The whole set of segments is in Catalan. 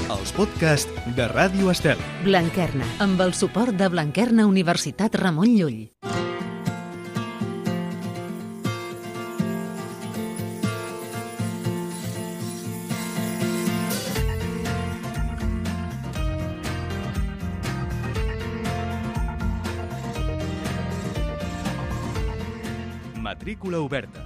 els podcasts de Ràdio Estel. Blanquerna, amb el suport de Blanquerna Universitat Ramon Llull. Matrícula oberta.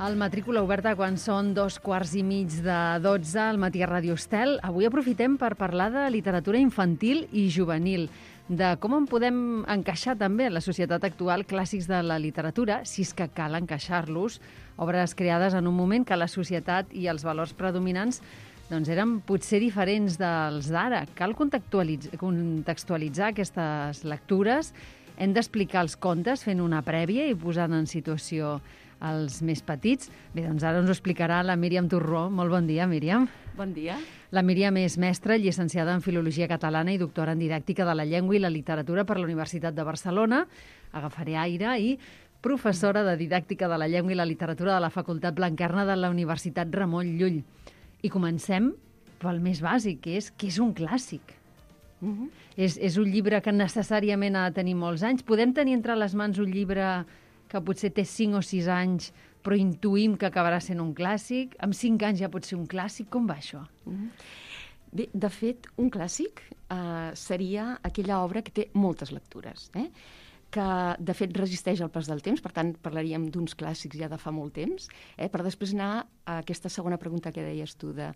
El Matrícula oberta quan són 2:15 al matí a Ràdio Estel. Avui aprofitem per parlar de literatura infantil i juvenil, de com en podem encaixar també en la societat actual clàssics de la literatura, si és que cal encaixar-los, obres creades en un moment que la societat i els valors predominants eren potser diferents dels d'ara. Cal contextualitzar aquestes lectures. Hem d'explicar els contes fent una prèvia i posant en situació els més petits. Bé, doncs ara ens ho explicarà la Míriam Torró. Molt bon dia, Míriam. Bon dia. La Míriam és mestra, llicenciada en Filologia Catalana i doctora en Didàctica de la Llengua i la Literatura per la Universitat de Barcelona. Agafaré aire i professora de Didàctica de la Llengua i la Literatura de la Facultat Blanquerna de la Universitat Ramon Llull. I comencem pel més bàsic, que és un clàssic. És un llibre que necessàriament ha de tenir molts anys. Podem tenir entre les mans un llibre que potser té 5 o 6 anys, però intuïm que acabarà sent un clàssic. Amb 5 anys ja pot ser un clàssic. Com va això? Bé, de fet, un clàssic seria aquella obra que té moltes lectures, que de fet resisteix al pas del temps, per tant parlaríem d'uns clàssics ja de fa molt temps, per després anar a aquesta segona pregunta que deies tu, de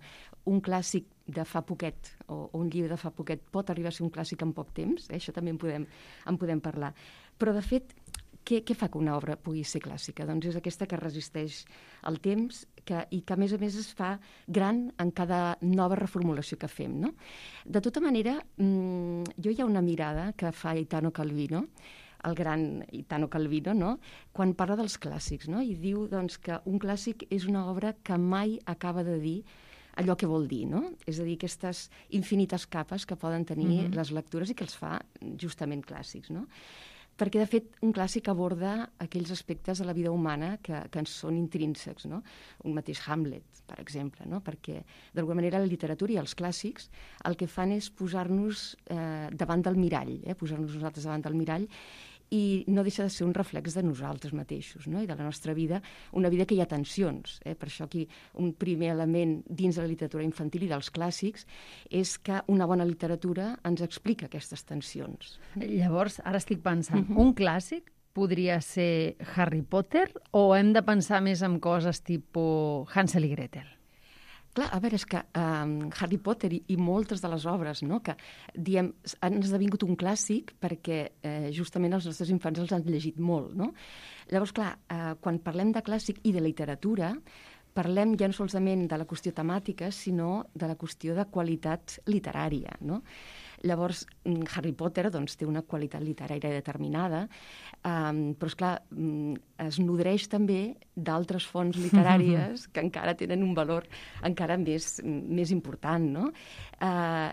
un clàssic de fa poquet o un llibre de fa poquet pot arribar a ser un clàssic en poc temps, això també en podem parlar. Però de fet, què fa que una obra pugui ser clàssica? Doncs és aquesta que resisteix al temps i que a més es fa gran en cada nova reformulació que fem, no? De tota manera, jo hi ha una mirada que fa Italo Calvino, el gran Italo Calvino, no? Quan parla dels clàssics, no? I diu doncs, que un clàssic és una obra que mai acaba de dir allò que vol dir, no? És a dir, aquestes infinites capes que poden tenir les lectures i que els fa justament clàssics, no? Perquè, de fet, un clàssic aborda aquells aspectes de la vida humana que ens són intrínsecs, no? Un mateix Hamlet, per exemple, no? Perquè, d'alguna manera, la literatura i els clàssics el que fan és posar-nos davant del mirall, posar-nos nosaltres davant del mirall, i no deixa de ser un reflex de nosaltres mateixos, no? I de la nostra vida, una vida que hi ha tensions. Per això aquí un primer element dins de la literatura infantil i dels clàssics és que una bona literatura ens explica aquestes tensions. Llavors, ara estic pensant, un clàssic podria ser Harry Potter o hem de pensar més en coses tipus Hansel i Gretel? Clar, a veure, és que Harry Potter i moltes de les obres, no, que diem, han esdevingut un clàssic perquè justament els nostres infants els han llegit molt, no? Llavors, clar, quan parlem de clàssic i de literatura, parlem ja no solament de la qüestió temàtica, sinó de la qüestió de qualitat literària, no? Llavors, Harry Potter doncs, té una qualitat literària determinada, però, esclar, es nodreix també d'altres fonts literàries que encara tenen un valor encara més important, no?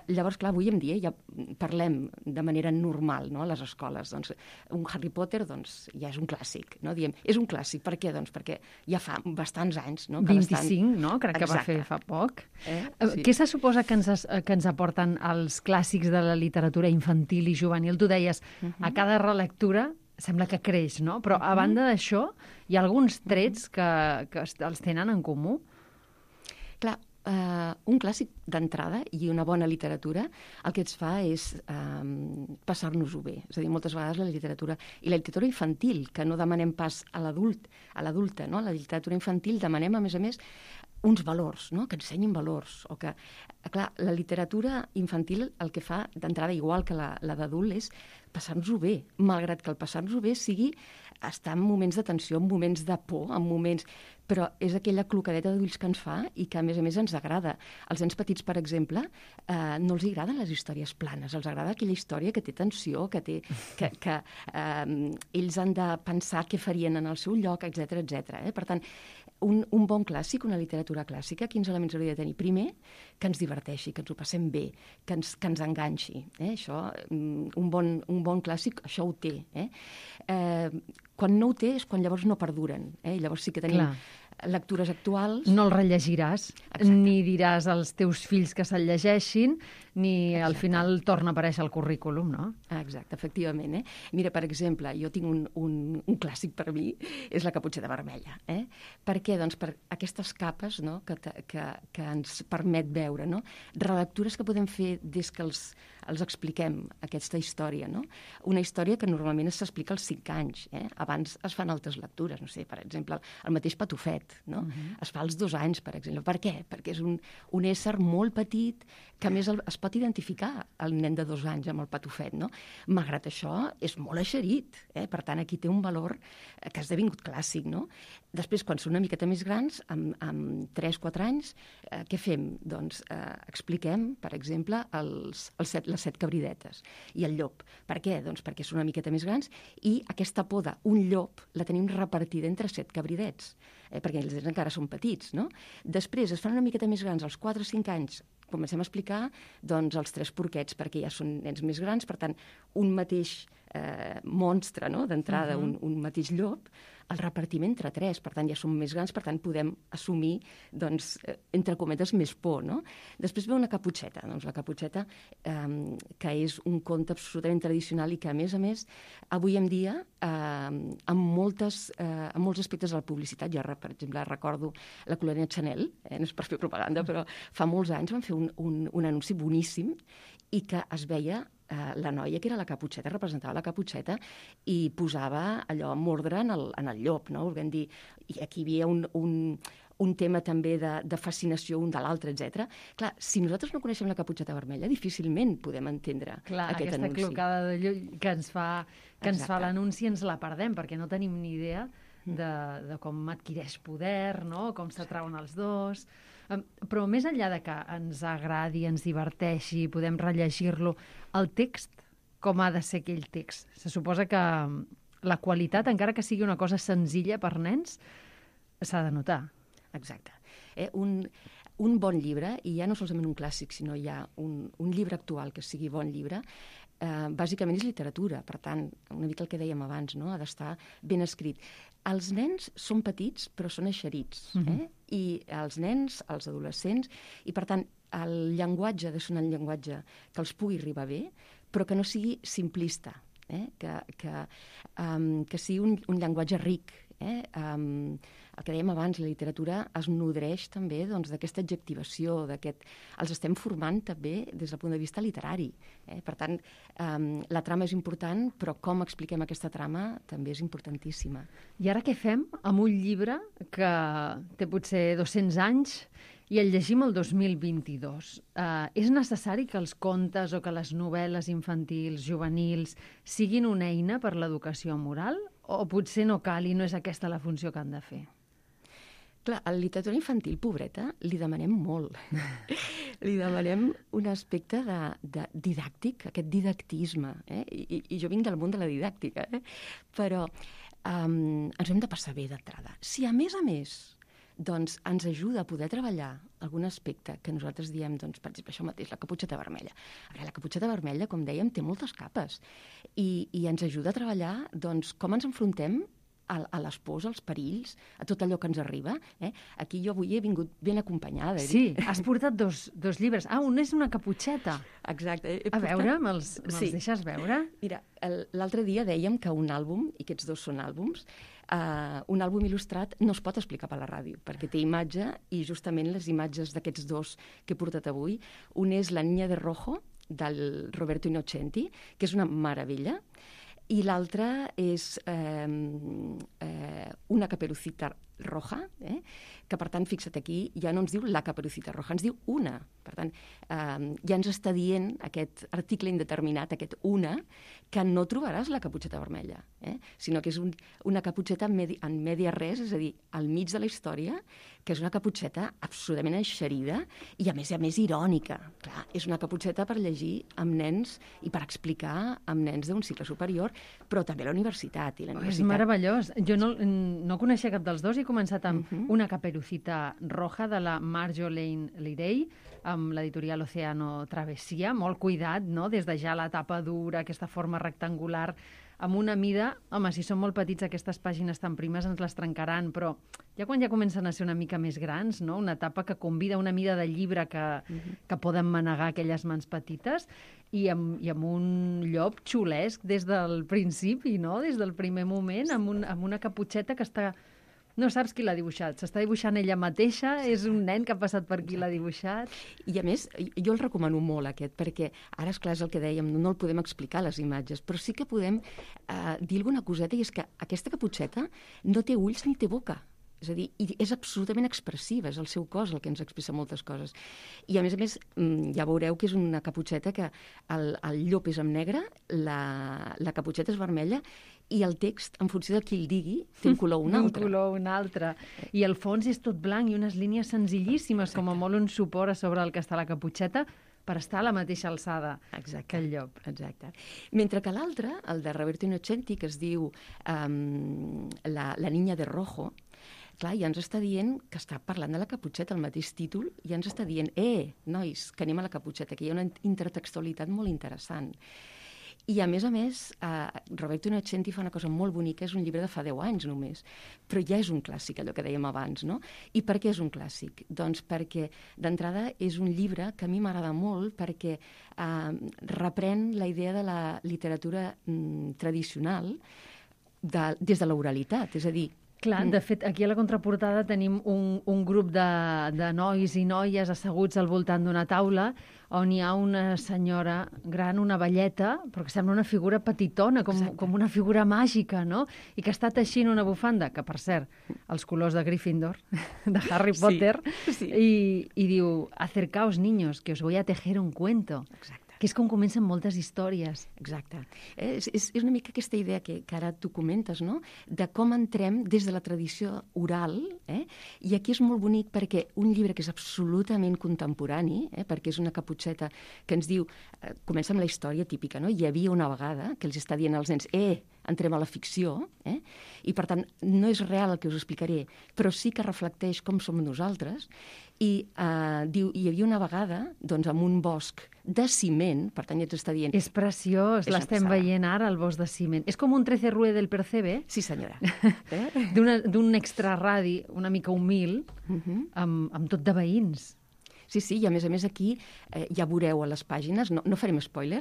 Llavors, clar, avui en dia ja parlem de manera normal, no?, a les escoles. Doncs, un Harry Potter doncs, ja és un clàssic, no? Diem, és un clàssic, per què? Doncs perquè ja fa bastants anys, no? 25, no? Crec que va fer fa poc. Sí. Què se suposa que ens aporten els clàssics de la literatura infantil i juvenil? Tu deies, a cada relectura sembla que creix, no? Però a banda d'això, hi ha alguns trets que els tenen en comú? Clar, un clàssic d'entrada i una bona literatura el que ens fa és passar-nos-ho bé. És a dir, moltes vegades la literatura infantil, que no demanem pas a l'adulta, no? A la literatura infantil demanem, a més, uns valors, no? Que ensenyin valors. O que, clar, la literatura infantil el que fa d'entrada, igual que la d'adult, és passar-nos-ho bé, malgrat que el passar-nos-ho bé sigui estar en moments de tensió, en moments de por, en moments... Però és aquella clocadeta d'ulls que ens fa i que, a més ens agrada. Als nens petits, per exemple, no els agraden les històries planes, els agrada aquella història que té tensió, que ells han de pensar què farien en el seu lloc, etc. Per tant, un bon clàssic, una literatura clàssica, quins elements hauria de tenir? Primer, que ens diverteixi, que ens ho passem bé, que ens enganxi. Això, un bon clàssic, això ho té. Quan no ho té és quan llavors no perduren. Llavors sí que tenim lectures actuals. No el rellegiràs, Exacte. ni diràs als teus fills que se'l llegeixin, ni al final torna a aparèixer al currículum, no? Exacte, efectivament. Mira, per exemple, jo tinc un clàssic per mi, és la Caputxeta Vermella. Per què? Doncs per aquestes capes, no?, que ens permet veure, no?, relectures que podem fer des que els expliquem aquesta història, no? Una història que normalment s'explica als 5 anys. Abans es fan altres lectures, no sé, per exemple, el mateix Patufet, no? Es fa als 2 anys, per exemple. Per què? Perquè és un ésser molt petit que, a més, es pot identificar el nen de 2 anys amb el Patufet, no? Malgrat això, és molt eixerit. Per tant, aquí té un valor que ha esdevingut clàssic, no? Després, quan són una miqueta més grans, amb 3-4 anys, què fem? Doncs expliquem, per exemple, les 7 cabridetes i el llop. Per què? Doncs perquè són una miqueta més grans i aquesta poda, un llop, la tenim repartida entre 7 cabridets, perquè els encara són petits, no? Després es fan una miqueta més grans, als 4 o 5 anys, comencem a explicar doncs, els 3 porquets, perquè ja són nens més grans, per tant, un mateix monstre, no?, d'entrada, un mateix llop, el repartim entre 3, per tant, ja som més grans, per tant, podem assumir, doncs, entre cometes, més por, no? Després ve una caputxeta, doncs la caputxeta, que és un conte absolutament tradicional i que, a més, avui en dia, amb molts aspectes de la publicitat, jo, per exemple, recordo la colònia Chanel, no és per fer propaganda, però fa molts anys van fer un anunci boníssim i que es veia la noia que era la caputxeta, representava la caputxeta i posava allò amb ordre en el llop, no? Volguem dir, i aquí hi havia un tema també de fascinació un de l'altre, etc. Clar, si nosaltres no coneixem la Caputxeta Vermella, difícilment podem entendre aquest anunci. Aquesta clocada de llum que ens fa l'anunci ens la perdem, perquè no tenim ni idea de com adquireix poder, no?, com s'atrauen els dos. Però més enllà de que ens agradi, ens diverteixi, podem rellegir-lo, el text, com ha de ser aquell text? Se suposa que la qualitat, encara que sigui una cosa senzilla per nens, s'ha de notar. Exacte. Un bon llibre, i ja no solament un clàssic, sinó ja un llibre actual que sigui bon llibre, bàsicament és literatura. Per tant, una mica el que dèiem abans, no?, ha d'estar ben escrit. Els nens són petits, però són eixerits. I els nens, els adolescents, i per tant, el llenguatge ha de ser un llenguatge que els pugui arribar bé, però que no sigui simplista, que sigui un llenguatge ric. El que dèiem abans, la literatura es nodreix també d'aquesta adjectivació, els estem formant també des del punt de vista literari. Per tant, la trama és important, però com expliquem aquesta trama també és importantíssima. I ara què fem amb un llibre que té potser 200 anys i el llegim el 2022? És necessari que els contes o que les novel·les infantils, juvenils, siguin una eina per l'educació moral? O potser no cal i no és aquesta la funció que han de fer? Clar, a la literatura infantil, pobreta, li demanem molt. Li demanem un aspecte didàctic, aquest didactisme. I jo vinc del món de la didàctica, però ens hem de passar bé d'entrada. Si, a més, doncs ens ajuda a poder treballar algun aspecte que nosaltres diem, doncs, per exemple, això mateix, la Caputxeta Vermella. A veure, la Caputxeta Vermella, com dèiem, té moltes capes i ens ajuda a treballar doncs, com ens enfrontem a les pors, als perills, a tot allò que ens arriba. Aquí jo avui he vingut ben acompanyada. Sí, has portat dos llibres. Un és una caputxeta. Exacte. A veure, me'ls deixes veure? Mira, l'altre dia dèiem que un àlbum, i aquests dos són àlbums, un àlbum il·lustrat no es pot explicar per la ràdio, perquè té imatge, i justament les imatges d'aquests dos que he portat avui, un és La niña de rojo, del Roberto Innocenti, que és una meravella, i l'altre és Una caperucita roja, que per tant, fixa't aquí, ja no ens diu la caperucita roja, ens diu una. Per tant, ja ens està dient aquest article indeterminat, aquest una, que no trobaràs la Caputxeta Vermella, sinó que és una caputxeta en media res, és a dir, al mig de la història, que és una caputxeta absolutament eixerida i, a més irònica. Clar, és una caputxeta per llegir amb nens i per explicar amb nens d'un cicle superior, però també a la universitat. És meravellós. Jo no coneixia cap dels dos i he començat amb Una caperucita roja de la Marjolaine Leray, amb l'editorial Océano Travessia, molt cuidat, no?, des de ja la tapa dura, aquesta forma rectangular amb una mida... Home, si són molt petits aquestes pàgines tan primes ens les trencaran, però ja quan ja comencen a ser una mica més grans, no? Una etapa que convida una mida de llibre que poden manegar aquelles mans petites i amb un llop xulesc des del principi, no? Des del primer moment, amb una caputxeta que està... No saps qui l'ha dibuixat. S'està dibuixant ella mateixa, és un nen que ha passat per qui l'ha dibuixat. I a més, jo el recomano molt aquest, perquè ara, esclar, és el que dèiem, no el podem explicar, les imatges, però sí que podem dir alguna coseta, i és que aquesta caputxeta no té ulls ni té boca. És a dir, és absolutament expressiva, és el seu cos el que ens expressa moltes coses. I a més, ja veureu que és una caputxeta que el llop és en negre, la caputxeta és vermella, i el text, en funció de qui el digui, té un color o un altre. Un color o un altre. I el fons és tot blanc i unes línies senzillíssimes, exacte, com a molt un suport a sobre el que està la caputxeta, per estar a la mateixa alçada, exacte, que el llop. Exacte. Mentre que l'altre, el de Roberto Innocenti, que es diu La niña de rojo, clar, ja ens està dient que està parlant de la caputxeta, el mateix títol, i ja ens està dient, nois, que anem a la caputxeta, que hi ha una intertextualitat molt interessant. I, a més, Roberto Innocenti fa una cosa molt bonica, és un llibre de fa 10 anys només, però ja és un clàssic, allò que dèiem abans, no? I per què és un clàssic? Doncs perquè, d'entrada, és un llibre que a mi m'agrada molt perquè reprèn la idea de la literatura tradicional des de l'oralitat, és a dir, clar, de fet, aquí a la contraportada tenim un grup de nois i noies asseguts al voltant d'una taula on hi ha una senyora gran, una velleta, però que sembla una figura petitona, com una figura màgica, no? I que està teixint una bufanda, que, per cert, els colors de Gryffindor, de Harry Potter, sí. I diu, acercaos, niños, que os voy a tejer un cuento. Exacte. Que és com comencen moltes històries. Exacte. És una mica aquesta idea que ara tu comentes, no? De com entrem des de la tradició oral, i aquí és molt bonic perquè un llibre que és absolutament contemporani, perquè és una caputxeta que ens diu, comença amb la història típica, no? Hi havia una vegada que els està dient als nens, entrem a la ficció, i per tant no és real el que us explicaré, però sí que reflecteix com som nosaltres, i diu, hi havia una vegada, doncs, amb un bosc de ciment, per tant ja ens està dient... És preciós, l'estem veient ara, el bosc de ciment. És com un 13 Rue del Percebe. Sí, senyora. D'un extraradi una mica humil, amb tot de veïns. Sí, i a més aquí ja veureu a les pàgines, no farem spoiler,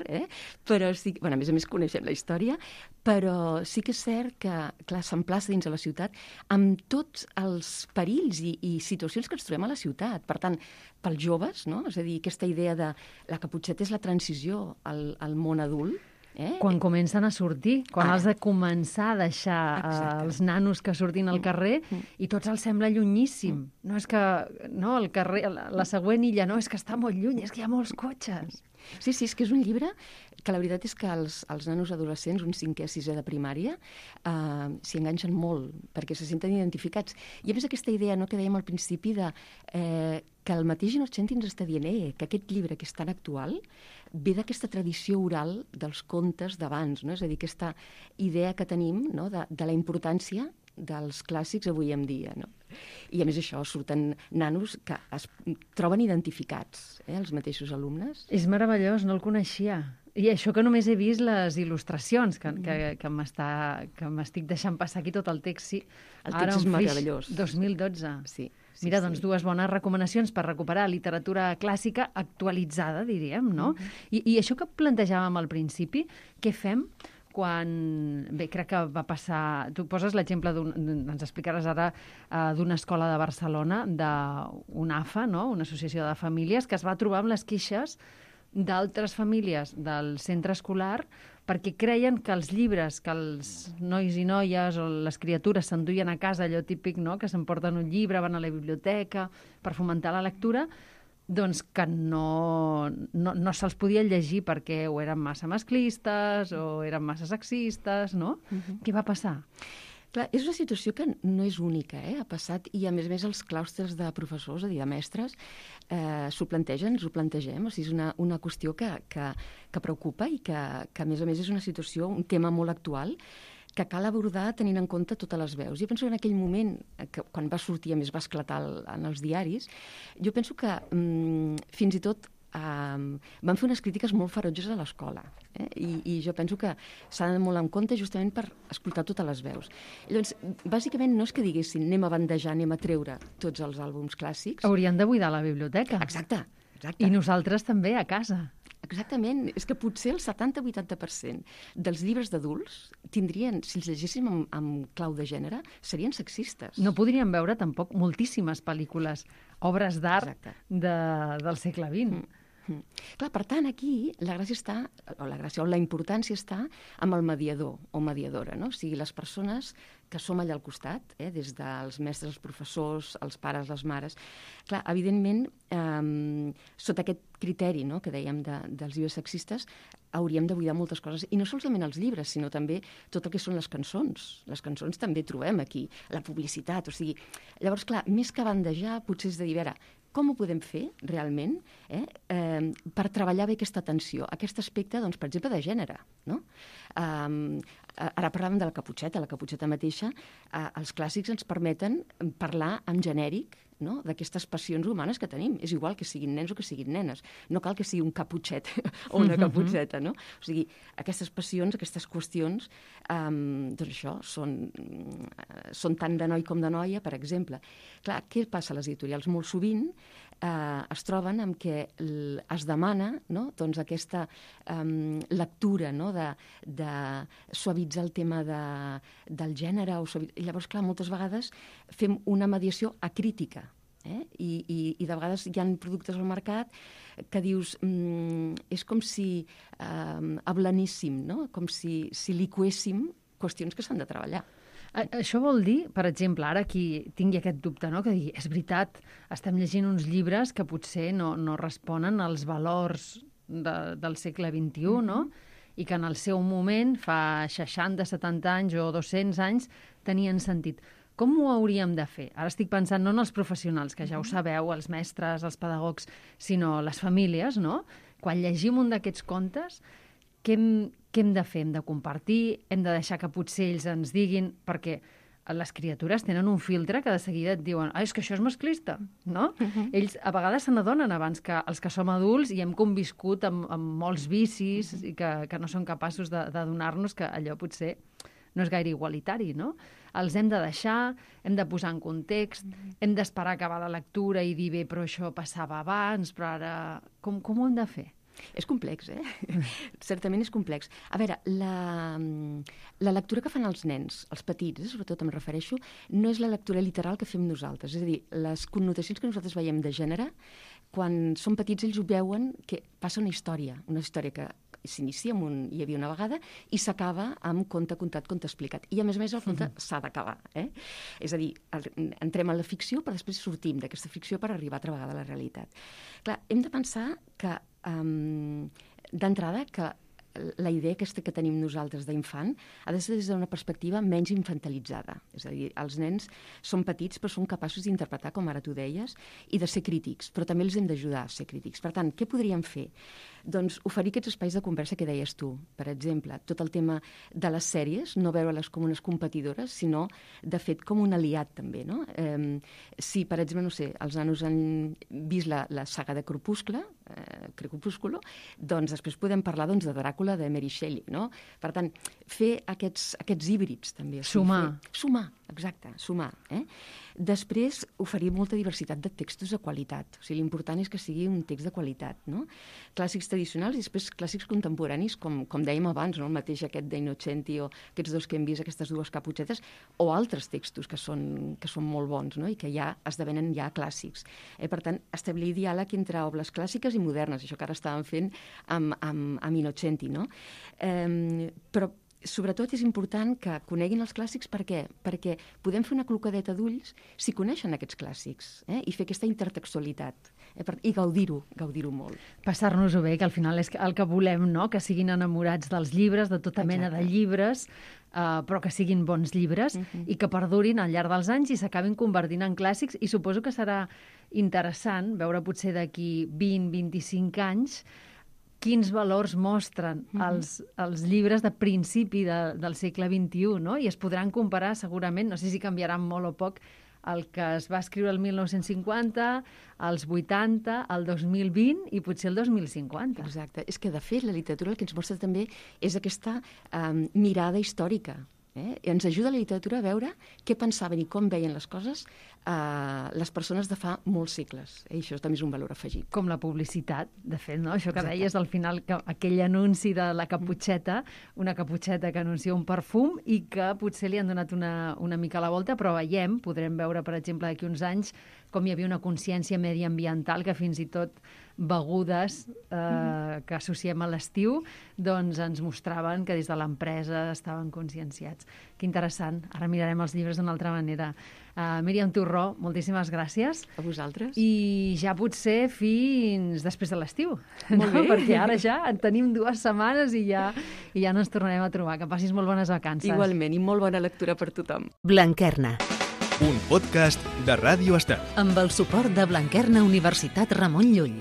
però sí, a més coneixem la història, però sí que és cert que, clar, s'emplaça dins de la ciutat amb tots els perills i situacions que ens trobem a la ciutat. Per tant, pels joves, no? És a dir, aquesta idea de la caputxeta és la transició al món adult, quan comencen a sortir, quan has de començar a deixar els nanos que surtin al carrer i tots els sembla llunyíssim. No és que el carrer, la següent illa, no, és que està molt lluny, és que hi ha molts cotxes. Sí, és que és un llibre que la veritat és que els nanos adolescents, un 5è, 6è de primària, s'hi enganxen molt, perquè se senten identificats. I a més aquesta idea que dèiem al principi de que el mateix Innocenti ens està dient que aquest llibre que és tan actual ve d'aquesta tradició oral dels contes d'abans, no? És a dir, aquesta idea que tenim, no? de la importància dels clàssics avui en dia, no? I a més això, surten nanos que es troben identificats, els mateixos alumnes. És meravellós, no el coneixia. I això que només he vist les il·lustracions, que m'estic deixant passar aquí tot el text, sí. El text és meravellós. 2012. Sí. Mira, doncs dues bones recomanacions per recuperar literatura clàssica actualitzada, diríem, no? I això que plantejàvem al principi, què fem quan... Bé, crec que va passar... Tu poses l'exemple, ens explicaràs ara, d'una escola de Barcelona, d'una AFA, no? Una associació de famílies, que es va trobar amb les queixes d'altres famílies del centre escolar perquè creien que els llibres que els nois i noies o les criatures s'enduien a casa, allò típic, no?, que s'emporten un llibre, van a la biblioteca per fomentar la lectura, doncs que no se'ls podia llegir perquè o eren massa masclistes o eren massa sexistes, no? Què va passar? Clar, és una situació que no és única, ha passat, i a més els claustres de professors, és a dir, de mestres, s'ho plantegen, ens ho plantegem, o sigui, és una qüestió que preocupa i que a més és una situació, un tema molt actual, que cal abordar tenint en compte totes les veus. Jo penso que en aquell moment, quan va sortir, a més va esclatar en els diaris, jo penso que fins i tot van fer unes crítiques molt ferotges a l'escola. I jo penso que s'ha d'anar molt en compte justament per escoltar totes les veus. Llavors, bàsicament no és que diguessin anem a bandejar, anem a treure tots els àlbums clàssics. Haurien de buidar la biblioteca. Exacte. I nosaltres també a casa. Exactament. És que potser el 70-80% dels llibres d'adults tindrien, si els llegéssim amb clau de gènere, serien sexistes. No podríem veure tampoc moltíssimes pel·lícules, obres d'art del segle XX. Clar, per tant, aquí la gràcia està, o la importància està amb el mediador o mediadora, no? O sigui, les persones que som allà al costat, des dels mestres, els professors, els pares, les mares. Clar, evidentment, sota aquest criteri, no?, que dèiem dels llibres sexistes, hauríem de buidar moltes coses, i no solament els llibres, sinó també tot el que són les cançons. Les cançons també trobem aquí, la publicitat, o sigui... Llavors, clar, més que bandejar, potser és de dir, a veure, com ho podem fer realment per treballar bé aquesta atenció, aquest aspecte, doncs, per exemple, de gènere, no? Ara parlàvem de la caputxeta mateixa, els clàssics ens permeten parlar en genèric, no?, d'aquestes passions humanes que tenim. És igual que siguin nens o que siguin nenes. No cal que sigui un caputxet o una caputxeta, no? O sigui, aquestes passions, aquestes qüestions, doncs això, són tant de noi com de noia, per exemple. Clar, què passa a les editorials? Molt sovint es troben amb què es demana, no?, doncs aquesta lectura, no?, de suavitzar el tema del gènere. Llavors, clar, moltes vegades fem una mediació acrítica. I de vegades hi ha productes al mercat que dius és com si ablaníssim, no? Com si liquéssim qüestions que s'han de treballar. Això vol dir, per exemple, ara qui tingui aquest dubte, no?, que digui, és veritat, estem llegint uns llibres que potser no responen als valors del segle XXI, no?, i que en el seu moment, fa 60, 70 anys o 200 anys, tenien sentit. Com ho hauríem de fer? Ara estic pensant no en els professionals, que ja ho sabeu, els mestres, els pedagogs, sinó les famílies, no? Quan llegim un d'aquests contes, què hem de fer? Hem de compartir? Hem de deixar que potser ells ens diguin? Perquè les criatures tenen un filtre que de seguida et diuen és que això és masclista, no? Ells a vegades se n'adonen abans que els que som adults i hem conviscut amb molts vicis i que no som capaços de donar-nos que allò potser no és gaire igualitari, no? Els hem de deixar, hem de posar en context, hem d'esperar acabar la lectura i dir, bé, però això passava abans, però ara... Com ho hem de fer? És complex, Certament és complex. A veure, la lectura que fan els nens, els petits, sobretot em refereixo, no és la lectura literal que fem nosaltres. És a dir, les connotacions que nosaltres veiem de gènere, quan són petits ells ho veuen que passa una història que s'inicia amb hi havia una vegada i s'acaba amb conte contat, conte explicat. I a més el conte s'ha d'acabar. És a dir, entrem en la ficció però després sortim d'aquesta ficció per arribar altra vegada a la realitat. Clar, hem de pensar que d'entrada que la idea aquesta que tenim nosaltres d'infant ha de ser des d'una perspectiva menys infantilitzada. És a dir, els nens són petits però són capaços d'interpretar, com ara tu deies, i de ser crítics, però també els hem d'ajudar a ser crítics. Per tant, què podríem fer? Doncs oferir aquests espais de conversa que deies tu. Per exemple, tot el tema de les sèries, no veure-les com unes competidores, sinó, de fet, com un aliat també, no? Si, per exemple, no sé, els nanos han vist la saga de Crepúsculo, doncs després podem parlar de Dràcula de Mary Shelley, no? Per tant, fer aquests híbrids també. Sumar, exacte, sumar. Després, oferir molta diversitat de textos de qualitat. O sigui, l'important és que sigui un text de qualitat, no? Clàssics tradicionals i després clàssics contemporanis, com dèiem abans, no? El mateix aquest d'Innocenti o aquests dos que hem vist, aquestes dues caputxetes, o altres textos que són molt bons, no? I que ja esdevenen ja clàssics. Per tant, establir diàleg entre obres clàssiques i modernes, això que ara estàvem fent amb Innocenti, no? Però sobretot és important que coneguin els clàssics. Per què? Perquè podem fer una clocadeta d'ulls si coneixen aquests clàssics i fer aquesta intertextualitat i gaudir-ho molt. Passar-nos-ho bé, que al final és el que volem, no? Que siguin enamorats dels llibres, de tota mena de llibres, però que siguin bons llibres i que perdurin al llarg dels anys i s'acabin convertint en clàssics. I suposo que serà interessant veure potser d'aquí 20-25 anys quins valors mostren els llibres de principi del segle XXI, no? I es podran comparar segurament, no sé si canviaran molt o poc, el que es va escriure el 1950, els 80, el 2020 i potser el 2050. Exacte. És que, de fet, la literatura el que ens mostra també és aquesta mirada històrica. Ens ajuda la literatura a veure què pensaven i com veien les coses les persones de fa molts segles. I això també és un valor afegit. Com la publicitat, de fet, no? Això que deies al final, que aquell anunci de la caputxeta, una caputxeta que anuncia un perfum i que potser li han donat una mica la volta, però podrem veure, per exemple, d'aquí uns anys, com hi havia una consciència mediambiental que fins i tot begudes que associem a l'estiu doncs ens mostraven que des de l'empresa estaven conscienciats. Que interessant. Ara mirarem els llibres d'una altra manera. Míriam Torró, moltíssimes gràcies. A vosaltres. I ja potser fins després de l'estiu. Molt bé. Perquè ara ja en tenim 2 setmanes i ja no ens tornarem a trobar. Que passis molt bones vacances. Igualment, i molt bona lectura per tothom. Blanquerna. Un podcast de Ràdio Estel. Amb el suport de Blanquerna Universitat Ramon Llull.